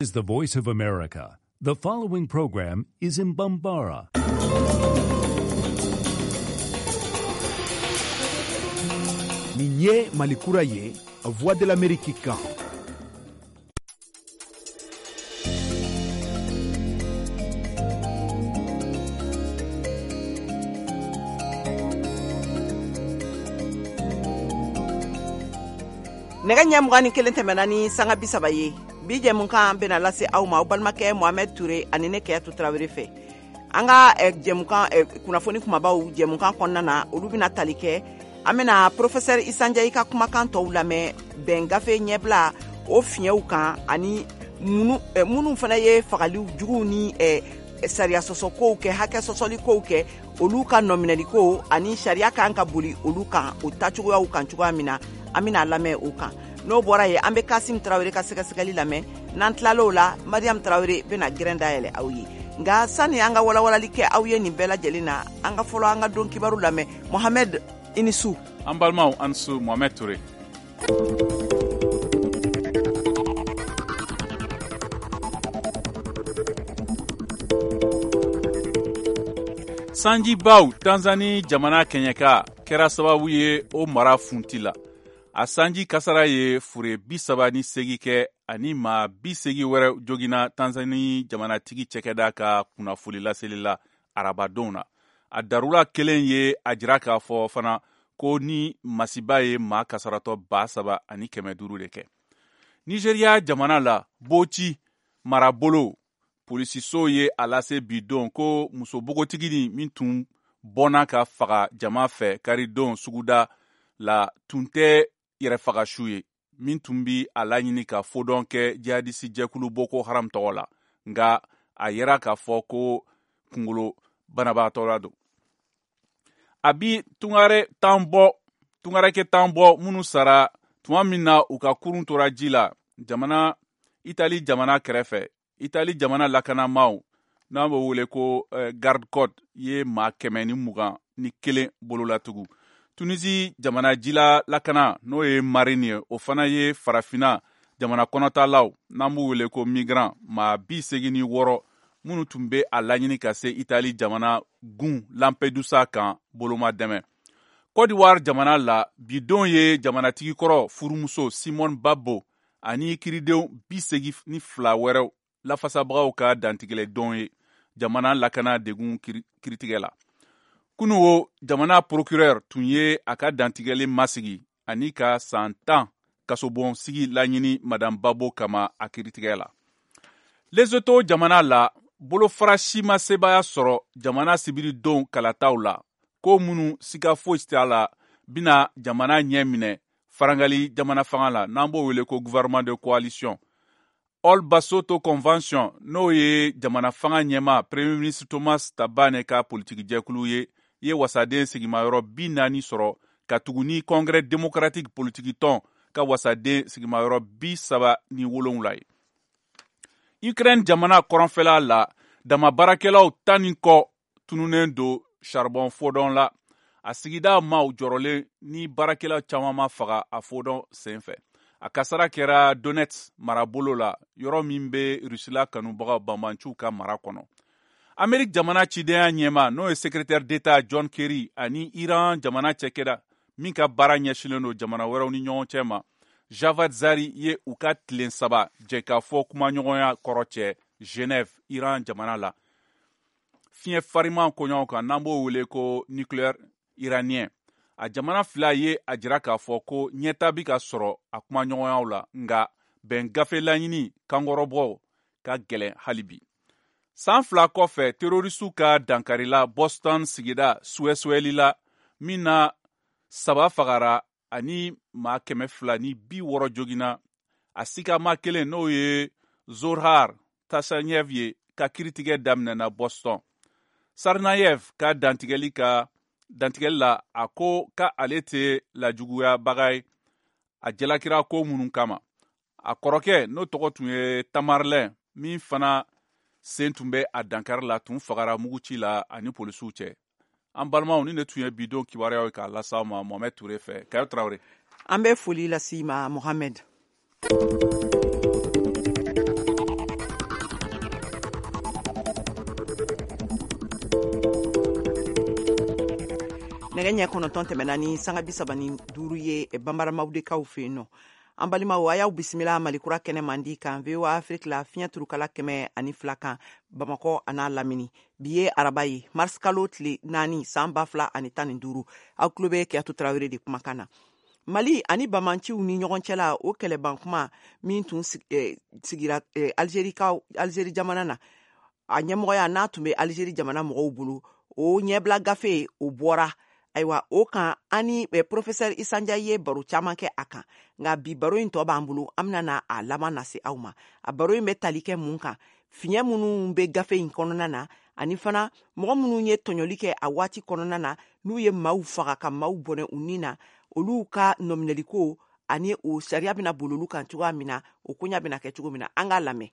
Is the Voice of America. The following program is in Bambara. Nin ye Mali kura ye, Voix de l'Amérique kan. Nɛgɛ ɲɛ 21 tɛmɛna ni sanga 30 ye. Bi jɛmukan bɛna lase aw ma aw balimakɛ Mohamed Toure ani ne Keyatu Tarawele fɛ. An ka jɛmukan kunnafoni kumabaw jɛmukan kɔnɔna na, olu bɛna tali kɛ. An bɛna professeur Issa Ndiaye ka kumakan tɔw lamɛn bɛn gafe ɲɛbila o fiɲɛw kan ani minnu fana ye fagali juguw ni sariya sɔsɔkow kɛ, hakɛ sɔsɔlikow kɛ, olu ka nɔminɛliko ani sariya kan ka boli olu kan o tacogoyaw kan cogoya min na, an bɛna lamɛn o kan. N'o bɔra yen, an bɛ Kasim Tarawele ka sɛgɛsɛgɛli lamɛn. N'an tilal'o la, Mariam Tarawele bɛna gɛrɛn dayɛlɛ aw ye. Nka sani an ka walawalali kɛ aw ye nin bɛɛ lajɛlen na, an ka fɔlɔ an ka don kibaru lamɛn. Mohamed, i ni su. An balimaw, an su. Mohamed Toure. Sanjibaw Tanzanie jamana kɛɲɛka kɛra sababu ye o mara funti la. A sanji kasara ye fure 38 kɛ ani maa 80 wɛrɛ joginna Tanzanie jamanatigi cɛkɛda ka kunnafoni laseli la arabadon na. A darula kelen ye a jira k'a fɔ fana ko ni masiba ye maa kasaratɔ 3500 de kɛ. Nigeria jamana la, Bauchi marabolo polisiso ye a lase bi don ko muso npogotiginin min tun bɔnna ka faga jama fɛ karidon suguda la tun tɛ yɛrɛfagasu ye, min tun bi a laɲini ka fodɔn kɛ jihadisi jɛkulu Boko Haram tɔgɔ la, nka a yera k'a fɔ ko kunkolo banabaatɔ la don. A bi tungare tan bɔ, tungarakɛ tan bɔ minnu sara tuma min na u ka kurun tora ji la jamana Itali jamana kɛrɛfɛ. Itali jamana lakanamaw n'an b'o wele ko garde côte ye maa 121 bololatugu. Tunisi jamana jila lakana n'o ye marine ye, o fana ye farafinna jamana kɔnɔtalaw n'an b'u wele ko migrant maa 86 minnu tun bɛ a laɲini ka se Itali jamana gun Lampedusa kan boloma dɛmɛ. Côte d'Ivoire jamana la, bidon ye jamanatigi kɔrɔ furumuso Simone Gbagbo ani kiridenw 82 wɛrɛw lafasabagaw ka dantigɛlɛ don ye jamana lakana degun kiritigɛ la. Kunu o jamana procureur tun ye a ka dantigɛli masigi ani ka san 10 kasobon sigi laɲini Madame Gbagbo kama a kiritigɛ la. Lesotho jamana la, bolofara si ma sebaaya sɔrɔ jamana sibiridon kalataw la, ko minnu siga foyi t'a la bɛna jamana ɲɛ minɛ farangali jamana fanga la, n'an b'o wele ko gouvernement de coalition. All Basotho Convention, n'o ye jamana fanga ɲɛma Premier ministre Thomas Thabane ka politiki jɛkulu ye, ye wasaden sigimayɔrɔ 40 sɔrɔ ka tugu ni Congrès démocratique politiki tɔn ka wasaden sigimayɔrɔ 37 ye. Ukraine jamana kɔrɔnfɛla la, dama baarakɛlaw tan ni kɔ tununnen don charbon fodɔn la. A sigida maaw jɔrɔlen ni baarakɛlaw caman ma faga a fodɔn senfɛ. A kasara kɛra Donetsk marabolo la, yɔrɔ min bɛ Rusila kanubagaw banbanciw ka mara kɔnɔ. Amerique jamana cidenya ɲɛma n'o ye secrétaire d'État John Kerry ani Iran jamana cɛkɛda min ka baara ɲɛsinnen don jamana wɛrɛw ni ɲɔgɔn cɛ ma, Javad Zarif ye u ka tilen saba jɛkafɔ kumaɲɔgɔnya kɔrɔ cɛ Genève, Iran jamana la. Fiɲɛ fariman koɲɔgɔn kan n'an b'o wele ko nucléaire iranien. A jamana fila ye a jira k'a fɔ ko ɲɛta bi ka sɔrɔ a kumaɲɔgɔnyaw la, nka bɛn gafe laɲini kankɔrɔbɔ ka gɛlɛn hali bi. San 2 kɔfɛ, terroristew ka dankarila Boston sigida suwɛsuwɛli la, min na 3 fagara ani maa 260 joginna. A sikama kelen n'o ye Zohar Tsarnaev ye ka kiritigɛ daminɛna Boston. Tsarnaev ka dantigɛli la, a ko ka ale tɛ lajuguyabaga ye a jalakira ko minnu kama. A kɔrɔkɛ n'o tɔgɔ tun ye Tamarlɛn, min fana sen tun bɛ a dankari la, tun fagara muguci la ani polisiw cɛ. An balimaw, ni ne tun ye bidon kibaruyaw ye k'a lase aw ma Mohamed Toure fɛ. Kayo Traoré. An bɛ foli lase i ma Mohamed. Nɛgɛ ɲɛ 9 tɛmɛna ni sanga 35 ye Banbaramawudekaw fɛ yen nɔ. An balimaw, a y'aw bisimila Malikura kɛnɛ mandi kan VOA Afrique la, fiɲɛ turukala 102 kan, Bamakɔ a n'a lamini. Bi ye araba ye, mars kalo tile 4, san 2015. Aw tulo bɛ Kiyatu Tarawele de kumakan na. Mali ani bamanciw ni ɲɔgɔn cɛla, o kɛlɛban kuma min tun sigira Algérie jamana na, a ɲɛmɔgɔya n'a tun bɛ Algérie jamana mɔgɔw bolo, o ɲɛbila gafe o bɔra. Ayiwa, o kan ani professeur Issa Ndiaye ye baro caman kɛ a kan, nka bi baro in tɔ b'an bolo, an bɛna na a laban lase aw ma. A baro in bɛ tali kɛ mun kan? Fiɲɛ minnu bɛ gafe in kɔnɔna na, ani fana mɔgɔ minnu ye tɔɲɔli kɛ a waati kɔnɔna na, n'u ye maaw faga ka maaw bɔnɛ u ni na, olu ka nɔminɛliko ani o sariya bɛna boli olu kan cogoya min na, o koɲa bɛna kɛ cogo min na, an k'a lamɛn.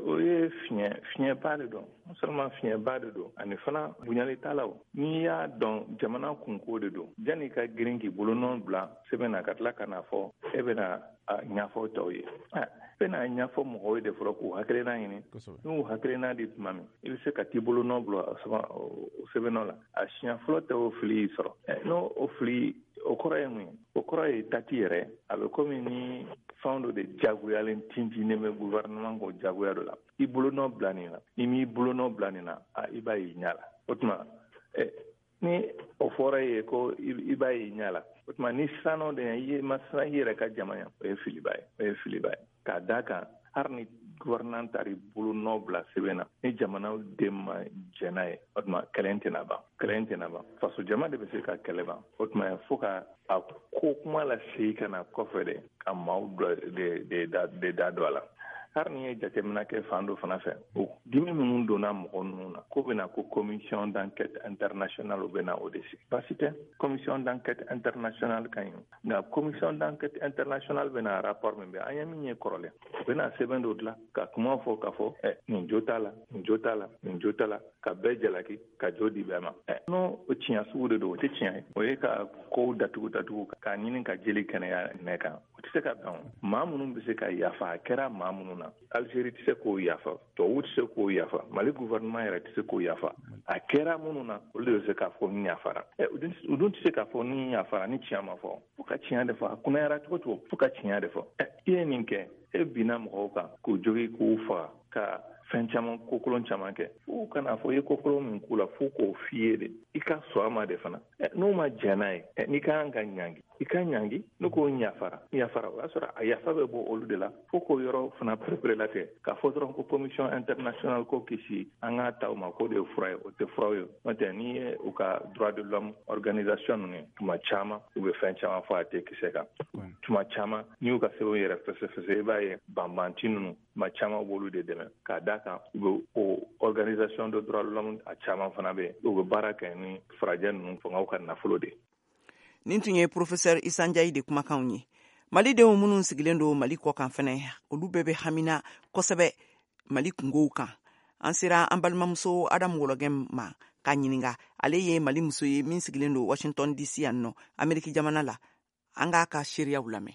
O ye fiɲɛba de don, non seulement fiɲɛba de don, ani fana bonyali t'a la. O n'i y'a dɔn, jamana kunko de don. Janni ka girin k'i bolonɔ bila sɛbɛn na ka tila ka n'a fɔ e bɛna a ɲɛfɔ tɔw ye, i bɛna ɲɛfɔ mɔgɔw ye de fɔlɔ k'u hakilina ɲini. N'u hakilina di tuma min, i bɛ se ka t'i bolonɔ bila o sɛbɛnnɔ la. A siɲɛ fɔlɔ tɛ o fili y'i sɔrɔ. N'o o fili, o kɔrɔ ye mun ye? O kɔrɔ ye tati yɛrɛ a bɛ komi ni fɛn dɔ de jagoyalen tintinnen bɛ gouvernement kɔ jagoya dɔ la. I bolonɔ bila nin na, n'i m'i bolonɔ bila nin na, i b'a ye ɲɛ la. O tuma ni o fɔra e ye ko i b'a ye ɲɛ la, o tuma ni siran'o de ɲɛ, i ma siran i yɛrɛ ka jama ɲɛ, o ye filiba ye, o ye filiba ye. K'a d'a kan, hali ni gouvernement taara bolonɔ bila sɛbɛn na, ni jamanaw den ma jɛn n'a ye, o tuma kɛlɛ tɛna ban, kɛlɛ tɛna ban. Faso jama de bɛ se ka kɛlɛ ban. O tuma fo ka a ko kuma lasegin ka na kɔfɛ de, ka maaw de da don a la. Hali n'i ye jateminɛ kɛ fan dɔ fana fɛ, o dimi minnu donna mɔgɔ ninnu na, ko bɛna ko commission d'enquête internationale bɛ na o de sigi. Baasi tɛ, commission d'enquête internationale ka ɲi, nka commission d'enquête internationale bɛna rapport min bɛ an ye min ye kɔrɔlen, u bɛna sɛbɛn dɔ dilan ka kuma fɔ k'a fɔ nin jo t'a la, nin jo t'a la, nin jo t'a la, ka bɛɛ jalaki, ka jo di bɛɛ ma. N'o o tiɲɛ sugu de don, o tɛ tiɲɛ ye, o ye ka kow datugu datugu k'a ɲini ka jeli kɛnɛya nɛ kan. O tɛ se ka bɛn. Maa minnu bɛ se ka yafa, a kɛra maa minnu na, Algérie tɛ se k'o yafa, tubabuw tɛ se k'o yafa, Mali gouvernement yɛrɛ tɛ se k'o yafa. A kɛra minnu na, olu de bɛ se k'a fɔ ni yafara. U dun tɛ se k'a fɔ ni yafara ni tiɲɛ ma fɔ. Fo ka tiɲɛ de fɔ, a kunnayara cogo cogo, fo ka tiɲɛ de fɔ. I ye nin kɛ, e binna mɔgɔw kan k'u jogi, k'u faga, ka fɛn caman, kokolon caman kɛ. Fo kana fɔ i ye kokolon min k'u la, fo k'o f'i ye de, i ka sɔn a ma de fana. N'o ma jɛn n'a ye, n'i ka kan ka ɲangi, i ka ɲangi. Ne ko yafara, yafara, o y'a sɔrɔ a yafa bɛ bɔ olu de la. Fo k'o yɔrɔ fana pereperelatigɛ k'a fɔ dɔrɔn ko commission internationale ko kisi an k'a ta o ma k'o de ye fura ye, o tɛ fura ye. N'o tɛ, n'i ye u ka droit de l'homme organisation ninnu ye, tuma caman u bɛ fɛn caman fɔ a tɛ kisɛ kan. Tuma caman n'i y'u ka sɛbɛnw yɛrɛ fɛsɛfɛsɛ, i b'a ye banbanci ninnu, tuma caman u b'olu de dɛmɛ. K'a d'a kan, u bɛ o organisation de droit de l'homme a caman fana bɛ yen, u bɛ baara kɛ ni farajɛ ninnu fangaw ka nafolo de. Nin tun ye professeur Issa Ndiaye de kumakanw ye. Malidenw minnu sigilen don Mali kɔ kan fɛnɛ, olu bɛɛ bɛ hamina kosɛbɛ Mali kungow kan. An sera an balimamuso Adamu Wɔlɔgɛ ma k'a ɲininga. Ale ye Mali muso ye min sigilen don Washington DC yan nɔ, Ameriki jamana la. An k'a ka seereyaw lamɛn.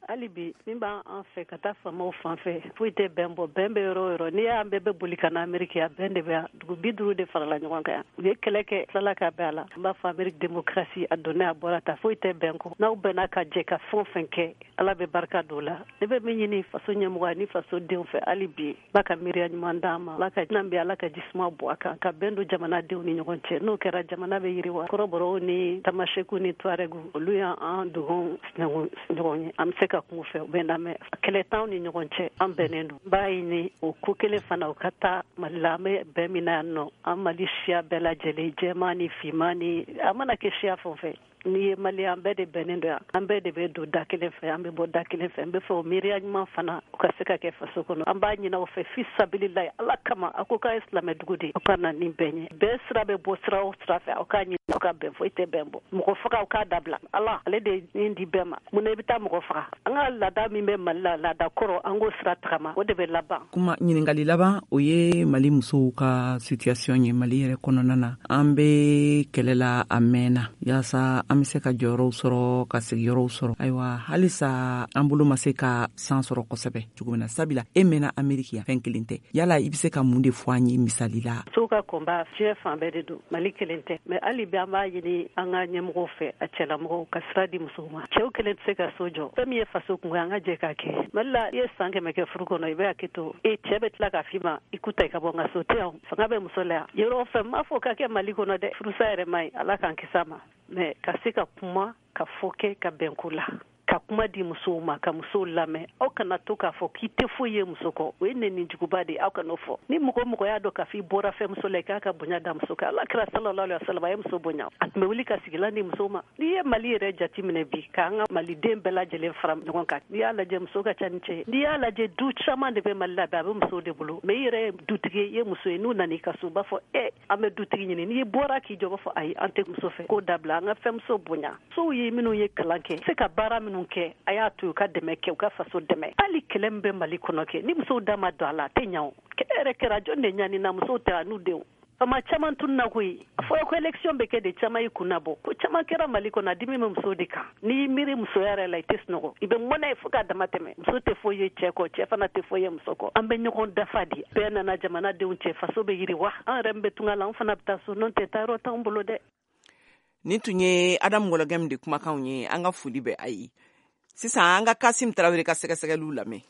Hali bi, min b'an fɛ ka taa faamaw fan fɛ, foyi tɛ bɛn bɔ. Bɛn bɛ yɔrɔ o yɔrɔ, n'i y'an bɛɛ bɛ boli ka na Ameriki, a bɛn de bɛ yan. Dugu 50 de farala ɲɔgɔn kan yan, u ye kɛlɛ kɛ, tilala ka bɛn a la. An b'a fɔ Ameriki, démocratie a donna, a bɔra ta, foyi tɛ bɛn kɔ. N'aw bɛnna ka jɛ ka fɛn o fɛn kɛ, Ala bɛ barika don la. Ne bɛ min ɲini faso ɲɛmɔgɔ ni faso denw fɛ hali bi, Ala ka miiriya ɲuman d'an ma, Ala ka nan bɛ, Ala ka jisuma bɔ a kan, ka bɛn don jamanadenw ni ɲɔgɔn cɛ. N'o kɛra, jamana bɛ yiriwa. Kɔrɔbɔrɔw ni Tamasɛkiw ni Tuarɛgu, olu y'an dogon ɲɔgɔn ye, an bɛ se ka kun fɛ, u bɛ lamɛn. Kɛlɛ t'anw ni ɲɔgɔn cɛ, an bɛnnen don. N b'a ɲini o ko kelen fana, o ka taa Mali la. An bɛ bɛn min na yan nɔ, an Mali siya bɛɛ lajɛlen, jɛman ni finman ni a mana kɛ siya fɛn o fɛn, n'i ye Mali, an bɛɛ de bɛnnen don yan, an bɛɛ de bɛ don da kelen fɛ, an bɛ bɔ da kelen fɛ. N bɛ fɛ o miiriya ɲuman fana, o ka se ka kɛ faso kɔnɔ. An b'a ɲini aw fɛ fi sabililayi, Ala kama. A ko k'a ye silamɛ dugu de, aw ka na ni bɛn ye. Bɛn sira bɛ bɔ sira o sira fɛ, aw k'a ɲini aw ka bɛn. Foyi tɛ bɛn bɔ. Mɔgɔ faga, aw k'a dabila. Ala, ale de ye di bɛɛ ma. Mun na i bɛ taa mɔgɔ faga? An ka laada min bɛ Mali la, laada kɔrɔ, an k'o sira tagama, o de bɛ laban. Kuma ɲininkali laban, o ye Mali musow ka situation ye Mali yɛrɛ kɔnɔna na. An bɛ kɛlɛ la a mɛnna yaasa an be se ka jɔyɔrɔw sɔrɔ, ka sigiyɔrɔw sɔrɔ. Ayiwa, halisa an bolo ma se ka san sɔrɔ kosɛbɛ cogo min na, sabula e mɛnna Ameriki yan, fɛn kelen tɛ. Yala i be se ka mun de fɔ an ye misali la? Musow ka combat, diɲɛ fan bɛɛ de don, Mali kelen tɛ. Mais hali bi, an an b'a ɲini an ka ɲɛmɔgɔw fɛ, a cɛlamɔgɔw ka sira di musow ma. Cɛw kelen tɛ se ka so jɔ, fɛn min ye faso kungo, an ka jɛ k'a kɛ. Mali la, i ye san 100 kɛ furu kɔnɔ, i bɛ hakɛ to e cɛ bɛ tila k'a f'i ma i k'u ta i ka bɔ n ka so tɛ yan. Fanga bɛ muso la yan yɔrɔ fɛn m'a fɔ ka kɛ Mali kɔnɔ dɛ, furusa yɛrɛ man ɲi, Ala k'an kisi a ma, mais ka se ka kuma ka fɔ kɛ ka bɛn ko la, ka kuma di musow ma, ka musow lamɛn. Aw kana to k'a fɔ k'i tɛ foyi ye muso kɔ, o ye nɛni juguba de ye, aw kan'o fɔ. Ni mɔgɔ mɔgɔ y'a dɔn k'a fɔ i bɔra fɛn muso la, i k'a ka bonya da muso kan. Ala kira sallallahu alaihi wasallam a ye muso bonya, a tun bɛ wuli ka sigilan di musow ma. N'i ye Mali yɛrɛ jate minɛ bi, k'an ka maliden bɛɛ lajɛlen fara ɲɔgɔn kan, n'i y'a lajɛ muso ka ca ni cɛ ye. N'i y'a lajɛ du caman de bɛ Mali la bi, a bɛ musow de bolo, mais i yɛrɛ ye dutigi ye, i ye muso ye, n'u nana i ka so, u b'a fɔ e an bɛ dutigi ɲini. N'i bɔra k'i jɔ, u b'a fɔ ayi an tɛ muso fɛ, k'o dabila, an ka fɛnmuso bonya. Musow ye minnu ye kalan kɛ, se ka baara minnu kɛ, a y'a to u ka dɛmɛ kɛ, u ka faso dɛmɛ. Hali kɛlɛ min bɛ Mali kɔnɔ kɛ, ni musow da ma don a la, a tɛ ɲa o. Kɛlɛ yɛrɛ kɛra jɔn de ɲani na, musow tɛ a n'u denw. Fama caman tununna koyi. A fɔra ko élection bɛ kɛ de, caman y'i kun nabɔ. Ko caman kɛra Mali kɔnɔ, a dimi bɛ musow de kan. N'i y'i miiri musoya yɛrɛ la, i tɛ sunɔgɔ, i bɛ mɔnɛ fo k'a dama tɛmɛ. Muso tɛ foyi ye cɛ kɔ, cɛ fana tɛ foyi ye muso kɔ. An bɛ ɲɔgɔn dafa de. Bɛɛ nana jamanadenw cɛ, faso bɛ yiriwa. An yɛrɛ min bɛ tunga la, an fana bɛ taa so, n'o tɛ taayɔrɔ t'anw bolo dɛ. Nin tun ye Adamu Wɔlɔgɛm de kumakanw ye, an ka foli bɛ a ye. Sisan an ka Kasim Tarawele ka sɛgɛsɛgɛliw lamɛn.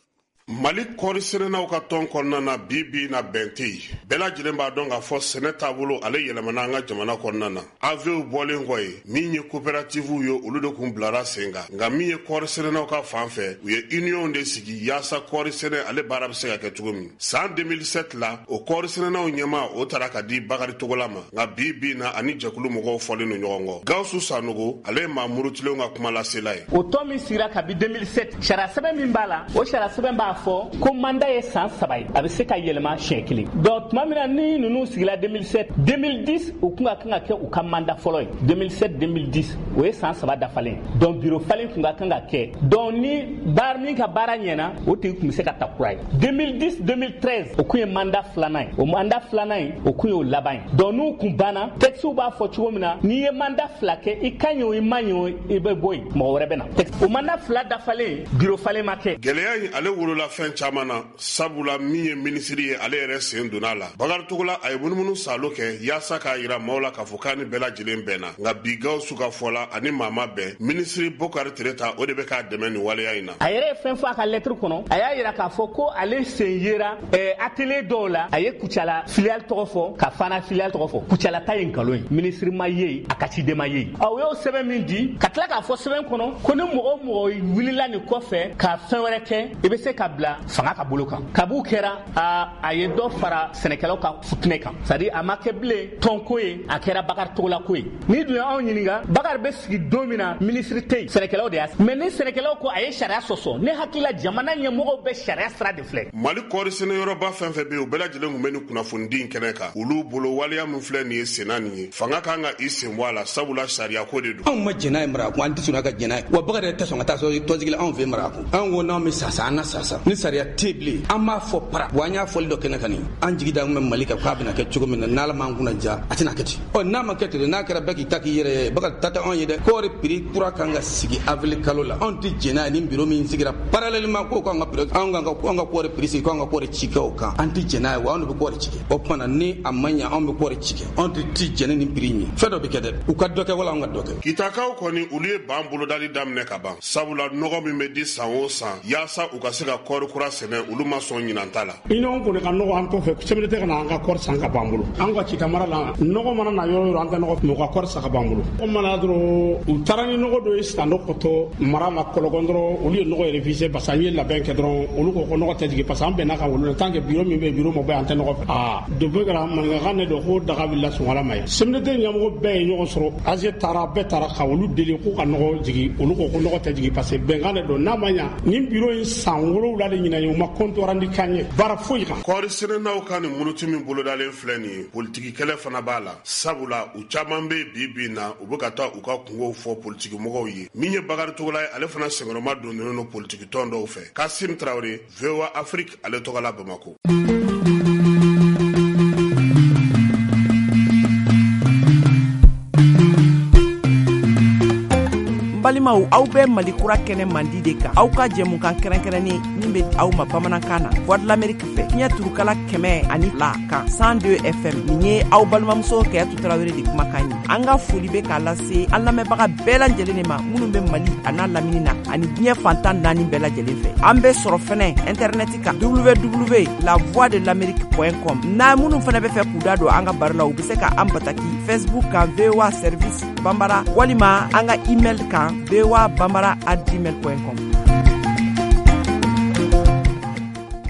Mali kɔɔri sɛnɛnaw ka tɔn kɔnɔna na, bi bi na bɛn tɛ yen. Bɛɛ lajɛlen b'a dɔn k'a fɔ sɛnɛ taabolo ale yɛlɛmana an ka jamana kɔnɔna na. AVEW bɔlen kɔ yen, min ye coopérativew ye, olu de kun bilara sen kan. Nka min ye kɔɔri sɛnɛnaw ka fan fɛ, u ye union de sigi yaasa kɔɔri sɛnɛ ale baara bɛ se ka kɛ cogo min. San 2007 la, o kɔɔri sɛnɛnaw ɲɛmaa o taara ka di Bakari Togola ma. Nka bi bi na ani jɛkulu mɔgɔw fɔlen don ɲɔgɔn kɔ. Gawusu Sanogo, ale ye maa murutilenw ka kumalasela ye. O tɔn min sigira kabi 2007, sariya sɛbɛn min b'a la, o sariya sɛbɛn b'a fɔ ko mandat ye san 3 ye, a bɛ se ka yɛlɛma siɲɛ kelen. Donc tuma min na ni ninnu sigila 2007, 2010 u kun ka kan ka kɛ u ka mandat fɔlɔ ye. 2007 2010 o ye san 3 dafalen. Donc bureau falen kun ka kan ka kɛ. Donc ni baara min ka baara ɲɛna, o tigi kun bɛ se ka ta kura ye. 2010 2013 o kun ye mandat filanan ye. O mandat filanan in o kun y'o laban ye. Donc n'u kun banna, texte b'a fɔ cogo min na, n'i ye mandat 2 kɛ, i ka ɲi o i ma ɲi o, i bɛ bɔ yen, mɔgɔ wɛrɛ bɛ na. O mandat 2 dafalen, bureau falen ma kɛ. Gɛlɛya in ale wolola fɛn caman na, sabula min ye minisiri ye, ale yɛrɛ sen donna a la. Bakari Togola a ye munumunu salo kɛ yaasa k'a yira maaw la k'a fɔ k'a ni bɛɛ lajɛlen bɛnna. Nka bi Gawusu ka fɔ la, ani maa ma bɛn, minisiri Bokari Tereta o de bɛ k'a dɛmɛ nin waleya in na. A yɛrɛ ye fɛn fɔ a ka lettre kɔnɔ, a y'a yira k'a fɔ ko ale sen yera atelier dɔw la, a ye Kucala filiale tɔgɔ fɔ ka Fana filiale tɔgɔ fɔ. Kucala ta ye nkalon ye, minisiri ma ye, a ka ciden ma ye. O y'o sɛbɛn min di, ka tila k'a fɔ sɛbɛn kɔnɔ ko ni mɔgɔ o mɔgɔ wulila nin kɔfɛ ka fɛn wɛrɛ kɛ, i bɛ se ka bila fanga ka bolo kan. Kab'u kɛra, a ye dɔ fara sɛnɛkɛlaw ka futinɛ kan. C'est à dire a ma kɛ bilen tɔnko ye, a kɛra Bakari Togola ko ye. N'i dun ye anw ɲininka, Bakari bɛ sigi don min na, minisiri tɛ yen, sɛnɛkɛlaw de y'a. Mais ni sɛnɛkɛlaw ko a ye sariya sɔsɔ, ne hakili la jamana ɲɛmɔgɔw bɛ sariya sira de filɛ. Mali kɔɔri sɛnɛyɔrɔba fɛn fɛn bɛ yen, u bɛɛ lajɛlen tun bɛ nin kunnafonidi in kɛnɛ kan. Olu bolo waleya min filɛ nin ye senna nin ye, fanga kan ka i sen bɔ a la, sabula sariya ko de don. Anw ma jɛn n'a ye Marakun, an tɛ sɔn ka jɛn n'a ye. Wa Bakari yɛrɛ tɛ sɔn ka taa tɔnsigi la anw fɛ Marakun. Anw ko n'anw bɛ sa, an ka sa. Ni sariya tɛ bilen, an b'a fɔ para. Wa an y'a fɔli dɔ kɛnɛ kan nin. An jigi da kun bɛ Mali kan k'a bɛna kɛ cogo min na, n'Ala m'an kunna ja, a tɛna kɛ ten. Ɔ n'a ma kɛ ten, n'a kɛra bɛɛ k'i ta k'i yɛrɛ ye, Bakari ta tɛ anw ye dɛ. Kɔɔri prix kura kan ka sigi avril kalo la. Anw tɛ jɛn n'a ye ni bureau min sigira parallèlement k'o k'an ka bureau, anw ka kɔɔri prix sigi, k'anw ka kɔɔri ci kɛ o kan. An tɛ jɛn n'a ye, wa anw de bɛ kɔɔri ci kɛ. O tuma na ni a ma ɲɛ, anw bɛ kɔɔri ci kɛ. Anw tɛ jɛn ni nin prix in ye. Fɛn dɔ bɛ kɛ dɛ, u ka dɔ kɛ wala anw ka dɔ kɛ. Kitakaw kɔni olu ye ban bolodali daminɛ ka ban, sabula nɔgɔ min bɛ di san o san yaasa u ka se ka kɔɔri kura sɛnɛ, olu ma sɔn ɲinan ta la. Union kɔni ka nɔgɔ an kɔfɛ, sɛbɛn tɛ ka na an ka kɔɔri san ka ban bolo. An ka Kita mara la, nɔgɔ mana na yɔrɔ yɔrɔ, an tɛ nɔgɔ, mɔgɔ ka kɔɔri san ka ban bolo. O mana dɔrɔn, u taara ni nɔgɔ dɔ ye san dɔ kɔtɔ mara la Kɔlɔgɔn dɔrɔn, olu ye nɔgɔ refusé parce que an ye labɛn kɛ dɔrɔn, olu ko ko nɔgɔ tɛ jigin parce que an bɛnna kan olu la, tant que bureau min bɛ bureau ma bɔ, an tɛ nɔgɔ fɛ. Aa depuis kɛra maninkakan de don ko daga wulila sunkala ma ye. CMDT ɲɛmɔgɔ bɛɛ ye ɲɔgɔn sɔrɔ, AG taara, bɛɛ taara ka olu deli k'u ka nɔgɔ jigin, olu ko ko nɔgɔ tɛ jigin parce que bɛnkan de don. N'a ma ɲa, nin bureau in san 7 de ɲinan ye, u ma compte rendu k'an ye baara foyi kan. Kɔɔri sɛnɛnaw ka nin muruti min bolodalen filɛ nin ye, politiki kɛlɛ fana b'a la, sabula u caman bɛ bi bi na, u bɛ ka taa u ka kungow fɔ politiki mɔgɔw ye. Min ye Bakari Togola ye, ale fana senkɔrɔma donnen don politiki tɔn dɔw fɛ. Kasim Tarawele, VOA Afrique, ale tɔgɔ la Bamako. N balima Balimaw, aw bɛ Mali kura kɛnɛ mandi de kan, aw ka jɛmukan kɛrɛnkɛrɛnnen min bɛ aw ma bamanankan na, Voix de l'Amérique fɛ, fiɲɛ turukala 102 kan, 102 FM. Nin ye aw balimamuso Kayatu Tarawele de kumakan ye. An ka foli bɛ k'a lase an lamɛnbaga bɛɛ lajɛlen de ma, minnu bɛ Mali a n'a lamini na ani diɲɛ fantan naani bɛɛ lajɛlen fɛ. An bɛ sɔrɔ fɛnɛ internet kan, www.lavoixdelamerique.com. N'a minnu fɛnɛ bɛ fɛ k'u da don an ka baro la, u bɛ se ka an bataki Facebook kan, VOA service Bambara, walima an ka email kan, voabambara@gmail.com.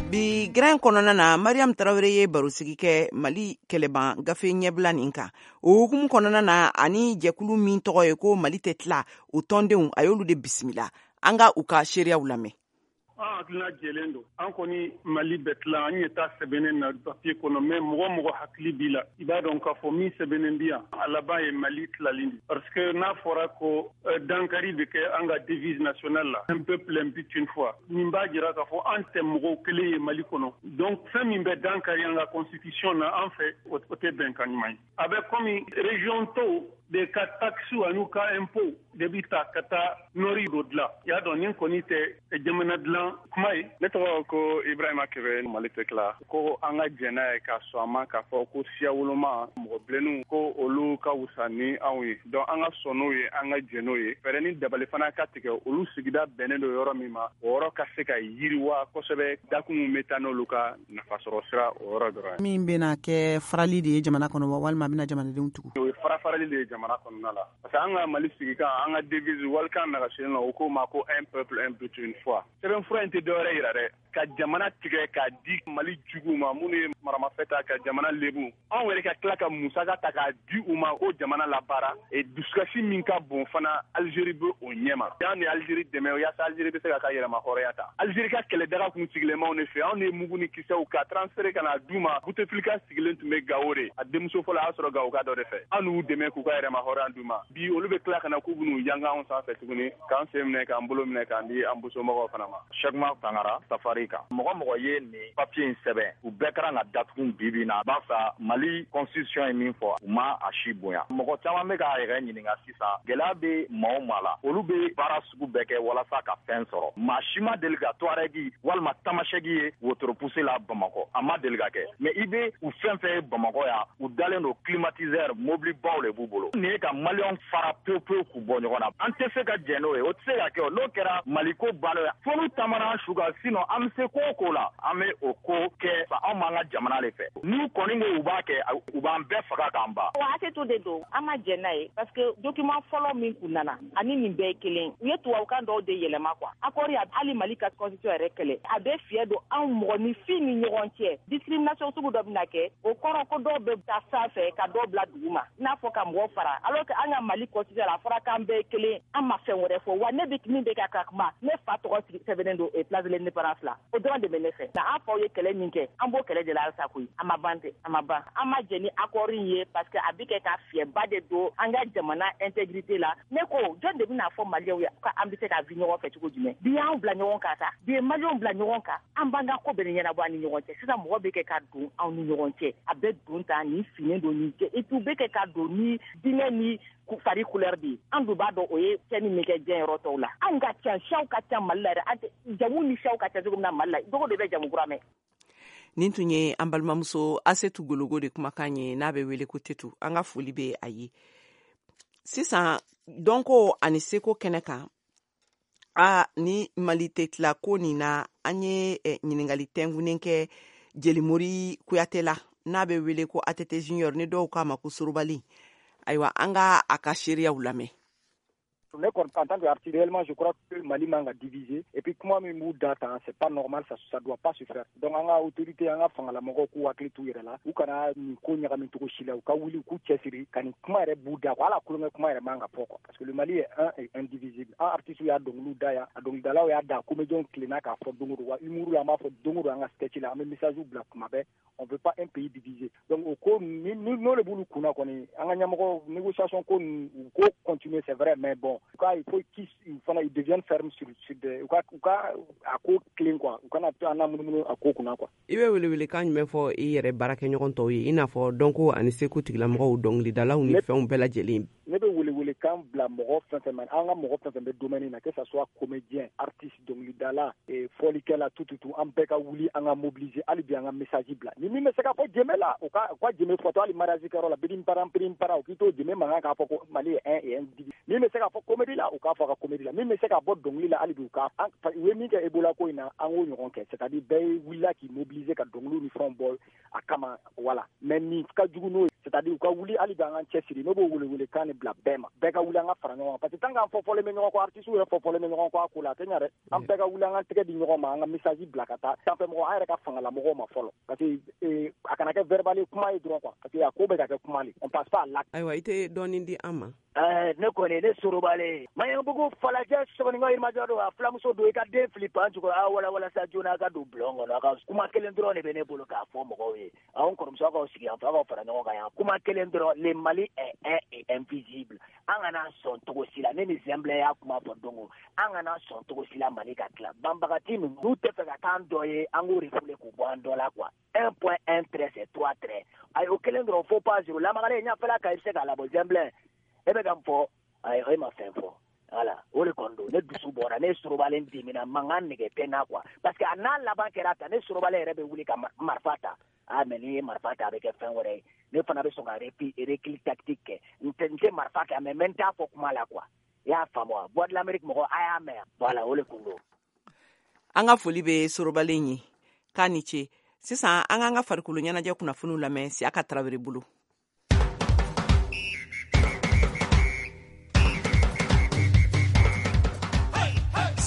Bi grain kɔnɔna na, Mariam Tarawele ye barosigi kɛ Mali kɛlɛban gafe ɲɛbila nin kan. O hukumu kɔnɔna na, ani jɛkulu min tɔgɔ ye ko Mali tɛ tila, o tɔndenw, a y'olu de bisimila. An ka u ka seereyaw lamɛn. An hakilina jɛlen don. An kɔni Mali bɛ tila, an ɲɛ t'a sɛbɛnnen na papier kɔnɔ, mais mɔgɔ mɔgɔ hakili b'i la, i b'a dɔn k'a fɔ min sɛbɛnnen bi yan, a laban ye Mali tilali de, parce que n'a fɔra ko dankari bɛ kɛ an ka devise nationale la, un peuple, un but, une foi, nin b'a jira k'a fɔ an tɛ mɔgɔw kelen ye Mali kɔnɔ. Donc fɛn min bɛ dankari an ka constitution na, an fɛ o tɛ bɛnkan ɲuman ye. A bɛ komi région tɔw de ka taxe an'u ka impôt de bi ta ka taa nord dɔ dilan. I y'a dɔn, nin kɔni tɛ jamana dilan kuma ye. Ne tɔgɔ ko Ibrahima Kebe. Mali tɛ tila, ko an ka jɛn n'a ye ka sɔn a ma k'a fɔ ko siya woloma mɔgɔ bilenninw, ko olu ka wusa ni anw ye. Donc an ka sɔn n'o ye, an ka jɛn n'o ye. Fɛɛrɛ ni dabali fana ka tigɛ, olu sigida bɛnnen don yɔrɔ min ma, o yɔrɔ ka se ka yiriwa kosɛbɛ. Dakun min bɛ taa n'olu ka nafasɔrɔ sira, o yɔrɔ dɔrɔn ye. Min bɛna kɛ farali de ye jamana kɔnɔ wa, walima a bɛna jamanadenw tugu? O ye fara farali de ye jamana kɔnɔna la, parce que an ka Mali sigikan, an ka devise walikan nagasilen na, o ko ma ko un peuple, un but, une foi. Sɛbɛnfura in tɛ dɔwɛrɛ yira dɛ, ka jamana tigɛ k'a di Mali juguw ma, minnu ye maramafɛn ta ka jamana lebu. Anw yɛrɛ ka tila ka musaka ta k'a di u ma ko jamana labaara. E dusukasi min ka bon fana, Algérie bɛ o ɲɛma. An ni Algérie dɛmɛ yaasa Algérie bɛ se ka ka yɛrɛma hɔrɔnya ta. Algérie ka kɛlɛdaga kun sigilen b'anw de fɛ. Anw de ye mugu ni kisɛw ka transféré ka na d'u ma. Bouteflika sigilen tun bɛ Gawo de, a denmuso fɔlɔ a y'a sɔrɔ Gawo ka dɔ de fɛ. An n'u dɛmɛ k'u ka yɛrɛma hɔrɔnya d'u ma. Bi olu bɛ tila ka na k'u bɛn'u yanga anw sanfɛ tuguni, k'an sen minɛ, k'an bolo minɛ, k'an di an bosomɔgɔw fana ma. Cheikhma Tangara safari kan, mɔgɔ mɔgɔ ye nin papier in sɛbɛn, u bɛɛ kɛra ka datugu bi bi na, barisa Mali constitution ye min fɔ, u ma a si bonya. Mɔgɔ caman bɛ k'a yɛrɛ ɲininka sisan, gɛlɛya bɛ maa o maa la, olu bɛ baara sugu bɛɛ kɛ walasa ka fɛn sɔrɔ. Maa si ma deli ka Touareg walima Tamasɛki ye wotoro poussé la Bamakɔ, a ma deli ka kɛ. Mais i bɛ u fɛn fɛn ye Bamakɔ yan, u dalen don climatiseur, mobilibaw de b'u bolo. Nin ye ka Maliyɛnw fara pewu pewu k'u bɔ ɲɔgɔn na. An tɛ se ka jɛn n'o ye, o tɛ se ka kɛ. O n'o kɛra, Mali ko banna ye. Fo n'u taamana an su kan, sinon an bɛ se ko o ko la, an bɛ o ko kɛ. Anw b'an ka jamana de fɛ. N'u kɔni ko u b'a kɛ, u b'an bɛɛ faga k'an ban. Wa hakɛto de don, an ma jɛn n'a ye, parce que document fɔlɔ min kun nana ani nin bɛɛ ye kelen. U ye tubabukan dɔw de yɛlɛma quoi. Accord ya hali Mali ka constitution yɛrɛ kɛlɛ, a bɛ fiyɛ don anw mɔgɔninfin ni ɲɔgɔn cɛ. Discrimination sugu dɔ bɛna kɛ, o kɔrɔ ko dɔw bɛ taa sanfɛ ka dɔw bila dugu ma, i n'a fɔ ka mɔgɔ fara, alors que an ka Mali constitution la, a fɔra k'an bɛɛ ye kelen. An ma fɛn wɛrɛ fɔ. Wa ne bɛ min bɛ ka kuma, ne fa tɔgɔ sigi sɛbɛnnen don place de l'Indépendance la, o dɔrɔn de bɛ ne fɛ. Nka an faw ye kɛlɛ min kɛ, an b'o kɛlɛ de la halisa koyi. A ma ban tɛ, a ma ban. An ma jɛn ni accord in ye, parce que a bɛ kɛ ka fiyɛba de don an ka jamana intégrité la. Ne ko jɔn de bɛna fɔ Maliyɛnw ye k'an bɛ se ka vi ɲɔgɔn fɛ cogo jumɛn? Bi y'an bila ɲɔgɔn kan sa, bi ye Maliyɛnw bila ɲɔgɔn kan, an b'an ka ko bɛɛ ɲɛnabɔ an ni ɲɔgɔn cɛ. Sisan mɔgɔ bɛ kɛ ka don anw ni ɲɔgɔn cɛ, a bɛ don ta nin finnen don nin cɛ, et puis u bɛ kɛ ka don ni diinɛ ni fari couleur de ye. An dun b'a dɔn o ye tiɲɛni min kɛ diɲɛ yɔrɔ tɔw la. Anw ka ca, siyaw ka ca Mali la yɛrɛ, an tɛ jamu ni siyaw ka ca cogo min na Mali la, dogo de bɛ jamu kura mɛn. Nin tun ye an balimamuso Asetu Gologo de kumakan ye, n'a bɛ wele ko Tetu. An ka foli bɛ a ye. Sisan dɔnko ani seko kɛnɛ kan, a ni Mali tɛ tila ko nin na, an ye ɲininkali tɛnkunnen kɛ Jelimori Kuyate la, n'a bɛ wele ko ATT Junior, ni dɔw k'a ma ko Sorobali. Ayiwa, an ka a ka seereyaw lamɛn. Ne kɔni, en tant qu'artiste, réellement, je crois que Mali man ka diviser. Et puis kuma min b'u da tan, c'est pas normal, ça doit pas se faire. Donc an ka autorité, an ka fangalamɔgɔw k'u hakili t'u yɛrɛ la, u kana nin ko ɲagami cogo si la. U ka wuli k'u cɛsiri ka nin kuma yɛrɛ b'u da quoi. Hali a kulonkɛ kuma yɛrɛ man ka fɔ quoi, parce que le Mali est un et indivisible. An artistes y'a dɔnkiliw da yan, a dɔnkilidalaw y'a da, comédiens tilenna k'a fɔ don o don, wa humour la, an b'a fɔ don o don an ka sketch la, an bɛ message bila kuma bɛɛ, on veut pas un pays divisé. Donc o ko ni n'o de b'olu kunna kɔni, an ka ɲɛmɔgɔ négociation ko ninnu, u ko continuer, c'est vrai, mais bon, u ka, il faut qu'ils fana, ils deviennent fermes sur des, u ka a ko tilen quoi, u kana to an na munumunu a ko kunna quoi. I bɛ welewelekan jumɛn fɔ i yɛrɛ baarakɛɲɔgɔn tɔw ye, i n'a fɔ dɔnko ani seko tigilamɔgɔw, dɔnkilidalaw ni fɛnw bɛɛ lajɛlen? Ne bɛ welewele kan bila mɔgɔ fɛn fɛn ma, an ka mɔgɔ fɛn fɛn bɛ domaine na, que ça soit comédien, artiste, dɔnkilidala, fɔlikɛla, tout tout tout, an bɛɛ ka wuli, an ka mobiliser hali bi, an ka message bila. Ni min bɛ se ka fɔ jɛmɛ la, u ka jɛmɛ fɔtɔ, hali mariage kɛyɔrɔ la, birim param birim para, u k'i to jɛmɛ mankan k'a fɔ ko Mali ye un et indivisible. Min bɛ se ka fɔ comédie la, u k'a fɔ a ka comédie la. Min bɛ se ka bɔ dɔnkili la, hali bi u ka u ye min kɛ Ebola ko in na, an k'o ɲɔgɔn kɛ, c'est à dire bɛɛ wulila k'i mobiliser ka dɔnkiliw ni fɛnw bɔ a kama, voilà. Mais nin ka jugu n'o ye, c'est à dire u ka wuli hali bi, an k'an cɛsiri. Ne b'o welewele kan de bila bɛɛ ma, bɛɛ ka wuli, an ka fara ɲɔgɔn kan, parce que tant qu'an fɔfɔlen bɛ ɲɔgɔn kɔ, artistes yɛrɛ fɔfɔlen bɛ ɲɔgɔn kɔ a ko la, a tɛ ɲɛ dɛ. An bɛɛ ka wuli, an ka tɛgɛ di ɲɔgɔn ma, an ka message bila ka taa sanfɛ mɔgɔ, an yɛrɛ ka fangalamɔgɔw ma fɔlɔ, parce que a kana kɛ verbal kuma ye dɔrɔn quoi, parce que a ko bɛ ka kɛ kuma le, on passe pas à l'acte. Ayiwa, i tɛ dɔɔnin di an ma? Ne kɔni, ne Sorobale Maɲanbugu falajɛ sɔgɔninkɔ yirimajɔ don, a filamuso don. I ka den fili pan jukɔrɔ, a wala walasa joona a ka don bulon kɔnɔ. A ka kuma kelen dɔrɔn de bɛ ne bolo k'a fɔ mɔgɔw ye. Anw kɔrɔmuso, aw k'aw sigi yan fɛ, aw k'aw fara ɲɔgɔn kan yan. Kuma kelen dɔrɔn: le Mali est un et indivisible. An kana sɔn cogo si la. Ne ni Zɛnbilɛ y'a kuma fɔ don o, an kana sɔn cogo si la Mali ka tila. Banbagati ninnu, n'u tɛ fɛ ka k'an dɔ ye, an k'o refoulé k'u bɔ an dɔ la quoi. 1 point 1 trait, c'est 3 traits. Ayi, o kelen dɔrɔn, faux pas zéro. Lamagalen ɲɛfɛla kan, i bɛ se k'a labɔ. Zɛnbilɛ, e bɛ ka n fɔ, ayi, e ma fɛn fɔ. Voilà, o de kɔni don. Ne dusu bɔra, ne Sorobalen dimina, mankan nege tɛ n na quoi, parce que a n'a laban kɛra tan, ne Sorobalen yɛrɛ bɛ wuli ka marifa ta. Ah, mais n'i ye marifa ta, a bɛ kɛ fɛn wɛrɛ ye. Ne fana bɛ sɔn ka recul tactique kɛ. N tɛ marifa kɛ, mais n t'a fɔ kuma la quoi. I y'a faamu wa? Voix de l'Amérique mɔgɔ, a y'a mɛn. Voilà, o de kun don. An ka foli bɛ Sorobalen ye, k'a ni ce. Sisan an k'an ka farikolo ɲɛnajɛ kunnafoniw lamɛn Siyaka Tarawele bolo.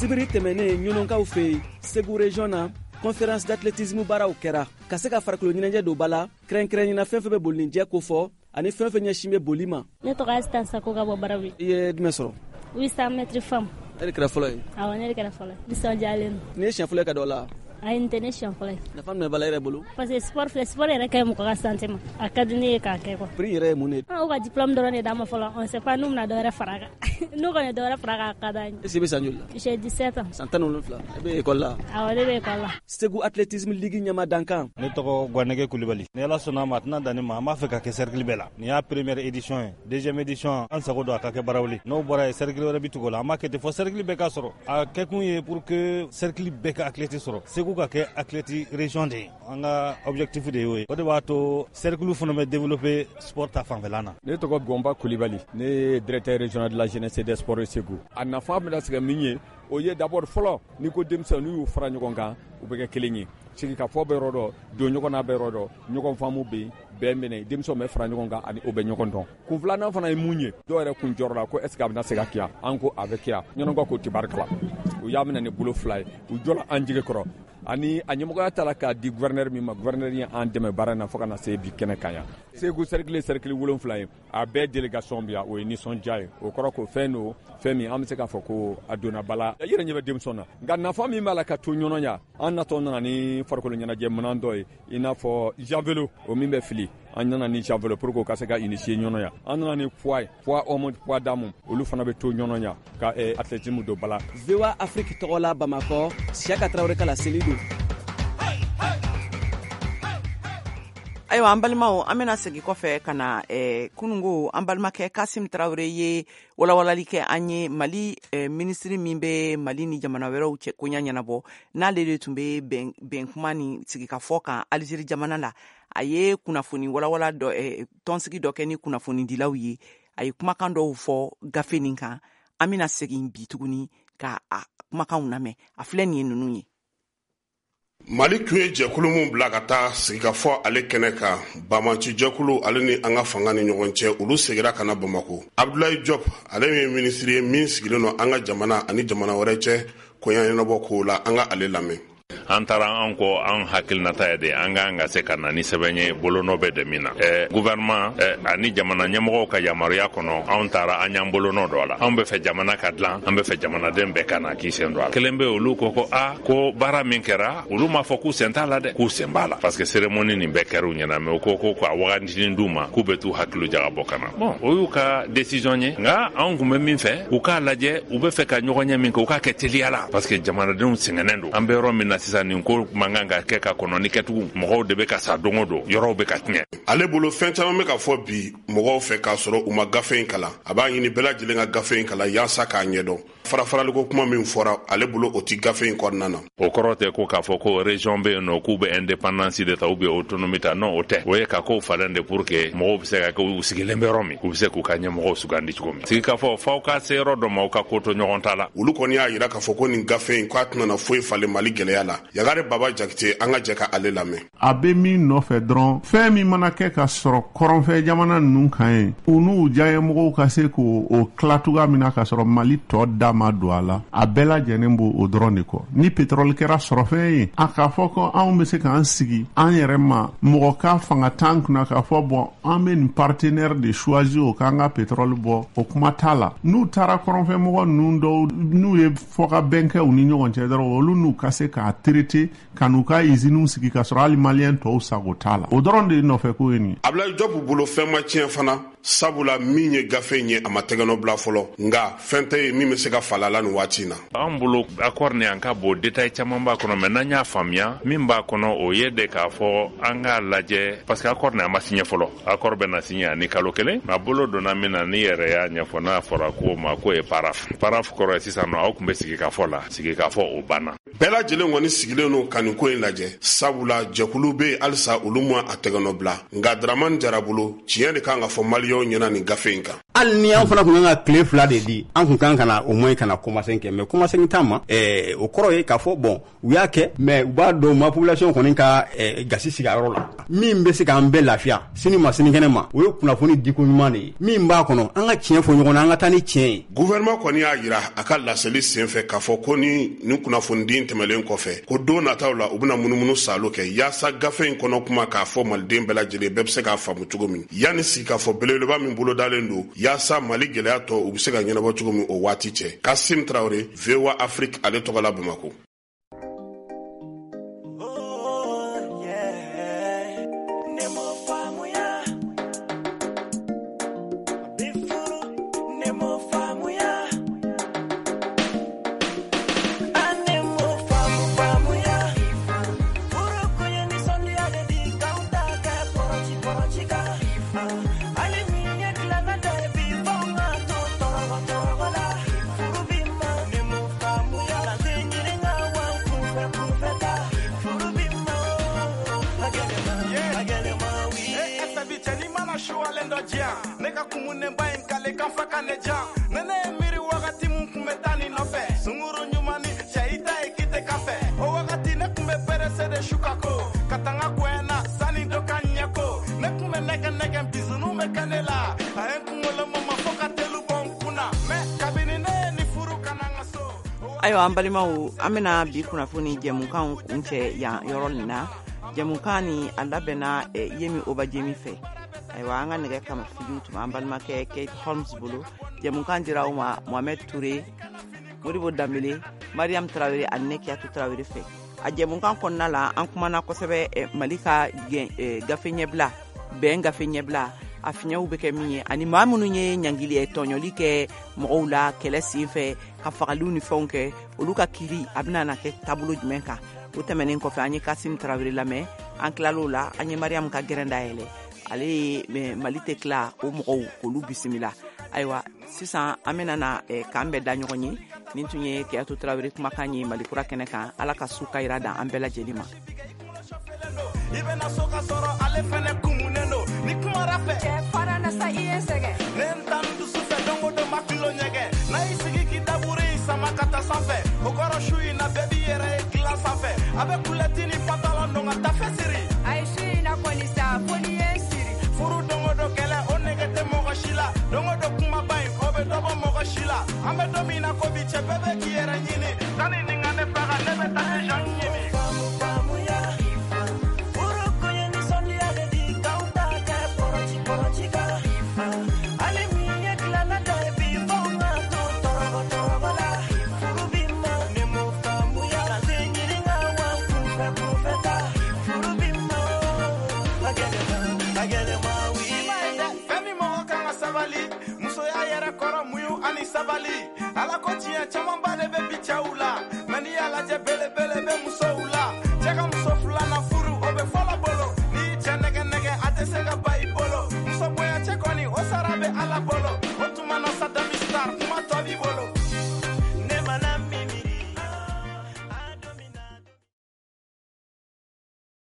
Sibiri tɛmɛnen, ɲɔnɔnkaw fɛ yen, Segu région na, conférence d'athlétisme baaraw kɛra ka se ka farikolo ɲɛnajɛ don ba la, kɛrɛnkɛrɛnyana fɛn fɛn bɛ bolinijɛ kofɔ ani fɛn fɛn ɲɛsin bɛ boli ma. Ne tɔgɔ Asitan Sako ka bɔ Barawi. I ye jumɛn sɔrɔ? 800 mètres femme. E de kɛra fɔlɔ ye? Awɔ, ne de kɛra fɔlɔ ye. Nisɔndiyalen don. Nin ye siɲɛ fɔlɔ ye ka don a la? Ayi, nin tɛ ne siɲɛ fɔlɔ ye. Nafa jumɛn b'a la e yɛrɛ bolo? Parce que sport filɛ, sport yɛrɛ ka ɲi mɔgɔ ka santé ma. A ka di ne ye k'a kɛ quoi. Prix yɛrɛ ye mun de ye? An ka diplôme dɔrɔn de d'a ma fɔlɔ. On sait pas n'u bɛna dɔ wɛrɛ fara a kan. N'u kɔni ye dɔ wɛrɛ fara a kan, a ka d'an ye. Est-ce que i bɛ san joli la? J'ai 17 ans. San 17. E bɛ école la? Awɔ, ne bɛ école la. Segu athlétisme ligue ɲɛma dankan. Ne tɔgɔ Gwanɛgɛ Kulibali. Ni Ala sɔnna a ma, a tɛna dan nin ma. An b'a fɛ ka kɛ cercle bɛɛ la. Nin y'a première édition ye. Deuxième édition, an sago don a ka kɛ Barawuli. N'o bɔra yen, cercle wɛrɛ bɛ tugu o la. An b'a kɛ ten fɔ cercle bɛɛ ka sɔrɔ. A kɛkun ye pour que cercle bɛɛ ka athlète sɔrɔ. Segu ka kɛ athlète région de ye. An ka objectif de y'o ye. O de b'a to cercle fana bɛ développer sport ta fanfɛla na. Ne tɔgɔ Gɔnba Kulibali. Ne ye directeur régional de la jeunesse et des sports Segu. A nafa bɛna se ka min ye, o ye d'abord fɔlɔ, n'i ko denmisɛnw, n'u y'u fara ɲɔgɔn kan, u bɛ kɛ kelen ye. Sigikafɔ bɛ yɔrɔ dɔ, don ɲɔgɔn na bɛ yɔrɔ dɔ, ɲɔgɔn faamu bɛ yen, bɛn bɛ na, denmisɛnw bɛ fara ɲɔgɔn kan ani o bɛ ɲɔgɔn dɔn. Kun filanan fana ye mun ye? Dɔw yɛrɛ kun jɔrɔ la ko est ce que a bɛna se ka kɛ yan? An ko a bɛ kɛ yan. Ɲɔnɔnkaw ko tibarikala. U y'a minɛ ni bolo fila ye, u jɔla an jigi kɔrɔ. Ani a ɲɛmɔgɔya taara k'a di gouverneur min ma, gouverneur ye an dɛmɛ baara in na fo ka na se bi kɛnɛ kan yan. Segu cercle, cercle 7 ye, a bɛɛ délégation bi yan, o ye nisɔndiya ye. O kɔrɔ ko fɛn don, fɛn min an bɛ se k'a fɔ ko a donna ba la. I yɛrɛ ɲɛ bɛ denmisɛnw na, nka nafa min b'a la ka to ɲɔnɔ ya, an natɔ nana ni farikolo ɲɛnajɛ minɛn dɔ ye, i n'a fɔ javelot, o min bɛ fili. An nana ni javelot pour que o ka se ka initier ɲɔnɔ ya. An nana ni poids ye, poids homme, poids dame, olu fana bɛ to ɲɔnɔ ya ka athlétisme don ba la. VOA Afrique tɔgɔ la Bamakɔ, Siyaka Tarawele ka laseli don. Ayiwa, an balimaw, an bɛna segin kɔfɛ ka na kunungo. An balimakɛ Kasim Tarawele ye walawalali kɛ an ye. Mali minisiri min bɛ Mali ni jamana wɛrɛw cɛ koɲa ɲɛnabɔ, n'ale de tun bɛ bɛn kuma ni sigikafɔ kan Alizeri jamana la, a ye kunnafoni walawala dɔ, tɔnsigi dɔ kɛ ni kunnafonidilaw ye. A ye kumakan dɔw fɔ gafe nin kan. An bɛna segin bi tuguni ka a kumakanw lamɛn. A filɛ nin ye, ninnu ye. Mali tun ye jɛkulu min bila ka taa sigikafɔ ale kɛnɛ kan, banbaanci jɛkulu ale ni an ka fanga ni ɲɔgɔn cɛ, olu segira ka na Bamako. Abdulayi Jɔp, ale ye minisiri ye min sigilen don an ka jamana ani jamana wɛrɛ cɛ koɲa ɲɛnabɔ kow la, an ka ale lamɛn. An taara, an ko an hakilinata ye de an k'an ka se ka na ni sɛbɛn ye, bolonɔ bɛ de min na gouvernement ani jamana ɲɛmɔgɔw ka yamaruya kɔnɔ. Anw taara, an y'an bolonɔ dɔ a la. Anw bɛ fɛ jamana ka dilan, an bɛ fɛ jamanaden bɛɛ ka na k'i sen don a la. Kelen bɛ, olu ko a ko baara min kɛra, olu m'a fɔ k'u sen t'a la dɛ, k'u sen b'a la, parce que cérémonie nin bɛɛ kɛra u ɲɛna, mais u ko k'a wagatinin d'u ma k'u bɛ t'u hakili jagabɔ ka na. Bon, o y'u ka décision ye, nka anw kun bɛ min fɛ, u k'a lajɛ, u bɛ fɛ ka ɲɔgɔn ɲɛ min kɛ, u k'a kɛ teliya la, parce que jamanadenw sɛgɛnnen don. An bɛ yɔrɔ min na sisan. sisan nin ko man kan ka kɛ ka kɔnɔ ni kɛtugun. Mɔgɔw de bɛ ka sa don o don, yɔrɔw bɛ ka tiɲɛ. Ale bolo fɛn caman bɛ ka fɔ bi mɔgɔw fɛ k'a sɔrɔ u ma gafe in kalan. A b'a ɲini bɛɛ lajɛlen ka gafe in kalan yaasa k'a ɲɛdɔn. Farafaraliko kuma min fɔra, ale bolo o ti gafe in kɔnɔna na. O kɔrɔ tɛ ko k'a fɔ ko région bɛ yen nɔ k'u bɛ indépendance de ta ou bien autonomie ta, non, o tɛ. O ye ka kow falen de pour que mɔgɔw bɛ se ka kɛ u sigilen bɛ yɔrɔ min, u bɛ se k'u ka ɲɛmɔgɔw sugandi cogo min. Sigikafɔ f'aw ka se yɔrɔ dɔ ma, aw ka ko to ɲɔgɔn ta la. Olu kɔni y'a yira k'a fɔ ko nin gafe in k'a tɛna foyi falen Mali gɛlɛya la. Yagare Baba Jakite, an ka jɛ ka ale lamɛn. A bɛ min nɔfɛ dɔrɔn, fɛn min mana kɛ ka sɔrɔ kɔrɔnfɛ jamana ninnu kan ye, u n'u diyanyemɔgɔw ka se k'o tila cogoya min na k'a sɔrɔ Mali tɔ da ma don a la, a bɛɛ lajɛlen b'o o dɔrɔn de kɔ. Ni pétrole kɛra sɔrɔfɛn ye, a k'a fɔ ko anw bɛ se k'an sigi an yɛrɛ ma, mɔgɔ ka fanga t'an kunna k'a fɔ bɔn an bɛ nin partenaire de choisir o k'an ka pétrole bɔ, o kuma t'a la. N'u taara kɔrɔnfɛmɔgɔ ninnu dɔw n'u ye fɔkabɛn kɛ u ni ɲɔgɔn cɛ dɔrɔn, olu n'u ka se k'a traiter ka n'u ka usines sigi k'a sɔrɔ hali maliyɛn tɔw sago t'a la. O dɔrɔn de ye nɔfɛ ko ye nin ye. Abdoulaye Diop bolo fɛn ma tiɲɛ fana, sabula min ye gafe in ye a ma tɛgɛnɔ bila fɔlɔ, nka fɛn tɛ yen min bɛ se ka falen a la nin waati in na. An bolo accord ni an ka bon détail caman b'a kɔnɔ, mais n'an y'a faamuya min b'a kɔnɔ, o ye de k'a fɔ an k'a lajɛ, parce que accord ni a ma signé fɔlɔ. Accord bɛ na signé ani kalo kelen, mais a bolo donna min na, ni yɛrɛ y'a ɲɛfɔ, n'a fɔra k'o ma k'o ye paraphe. Paraphe kɔrɔ ye sisan nɔ aw tun bɛ sigikafɔ la, sigikafɔ o banna. Bɛɛ lajɛlen kɔni sigilen don ka nin ko in lajɛ, sabula jɛkulu bɛ yen halisa olu ma a tɛgɛnɔ bila. Nka Dramane Jara bolo, tiɲɛ de kan ka fɔ maliyɛnw ɲɛna nin gafe in kan. Hali ni an fana kun kan ka tile 2 de di, an kun kan ka na au moins ka na kɔmasegin kɛ, mais kɔmasegin t'a ma. O kɔrɔ ye k'a fɔ bon, u y'a kɛ, mais u b'a dɔn ma population kɔni ka gasi sigi a yɔrɔ la. Min bɛ se k'an bɛɛ lafiya sini ma sinikɛnɛ ma, o ye kunnafoni diko ɲuman de ye. Min b'a kɔnɔ, an ka tiɲɛ fɔ ɲɔgɔn na, an ka taa ni tiɲɛ ye. Gouvernement kɔni y'a yira a ka laseli senfɛ k'a fɔ ko ni nin kunnafonidi tɛmɛlen kɔfɛ, ko don nataw la u bɛna munumunu salo kɛ yaasa gafe in kɔnɔ kuma k'a fɔ maliden bɛɛ lajɛlen bɛɛ bɛ se k'a faamu cogo min, yanni sigikafɔ belebeleba min bolodalen don yaasa Mali gɛlɛya tɔ u bɛ se ka ɲɛnabɔ cogo min o waati cɛ. Kasim Traoré, VOA Afrique, ale tɔgɔ la Bamakɔ. Ayiwa an balimaw, an bɛna bi kunnafoni jɛmukanw kuncɛ yan yɔrɔ nin na. Jɛmukan ni a labɛnna Yemi Obajemi fɛ. Ayiwa an ka nɛgɛ kamafigiw tun b'an balimakɛ Kate Holmes bolo. Jɛmukan dira aw ma Mohamed Touré, Modibo Danbele, Mariam Traoré ani ne Kiyatu Traoré fɛ. A jɛmukan kɔnɔna la, an kumana kosɛbɛ Mali ka gafe ɲɛbila, bɛn gafe ɲɛbila, a fiɲɛw bɛ kɛ min ye, ani maa minnu ye ɲangili tɔɲɔli kɛ mɔgɔw la kɛlɛ sen fɛ ka fagaliw ni fɛnw kɛ, olu ka kiiri a bɛna na kɛ taabolo jumɛn kan. O tɛmɛnen kɔfɛ, an ye Kasim Traoré lamɛn. An tilal'o la, an ye Mariam ka gɛrɛn dayɛlɛ. Ale ye Mali tɛ tila o mɔgɔw k'olu bisimila. Ayiwa sisan an bɛna na k'an bɛɛ da ɲɔgɔn ye. Nin tun ye Kiyatu Traoré kumakan ye Mali kura kɛnɛ kan. Ala ka su ka yira dan an bɛɛ lajɛlen ma. I bɛna so ka sɔrɔ ale fɛnɛ kumunen don ni kumara fɛ cɛ fara na sa i ye sɛgɛn ne n tan dusu fɛ don o don ma kilo ɲɛgɛn n'a y'i sigi k'i daburu in sama ka taa sanfɛ o kɔrɔ su in na bɛɛ b'i yɛrɛ ye dilan sanfɛ a bɛ kulɛti ni pantalon don ka tafe siri a ye su in na kɔni sa fo n'i ye n siri furu don o don kɛlɛ o nege tɛ mɔgɔ si la don o don kumaba in o bɛ dɔ bɔ mɔgɔ si la an bɛ don min na ko bi cɛ bɛɛ bɛ k'i yɛrɛ ɲini sani nin ka ne faga ne bɛ taa ne jan ɲini. Sabali ala ko tiɲɛ caman.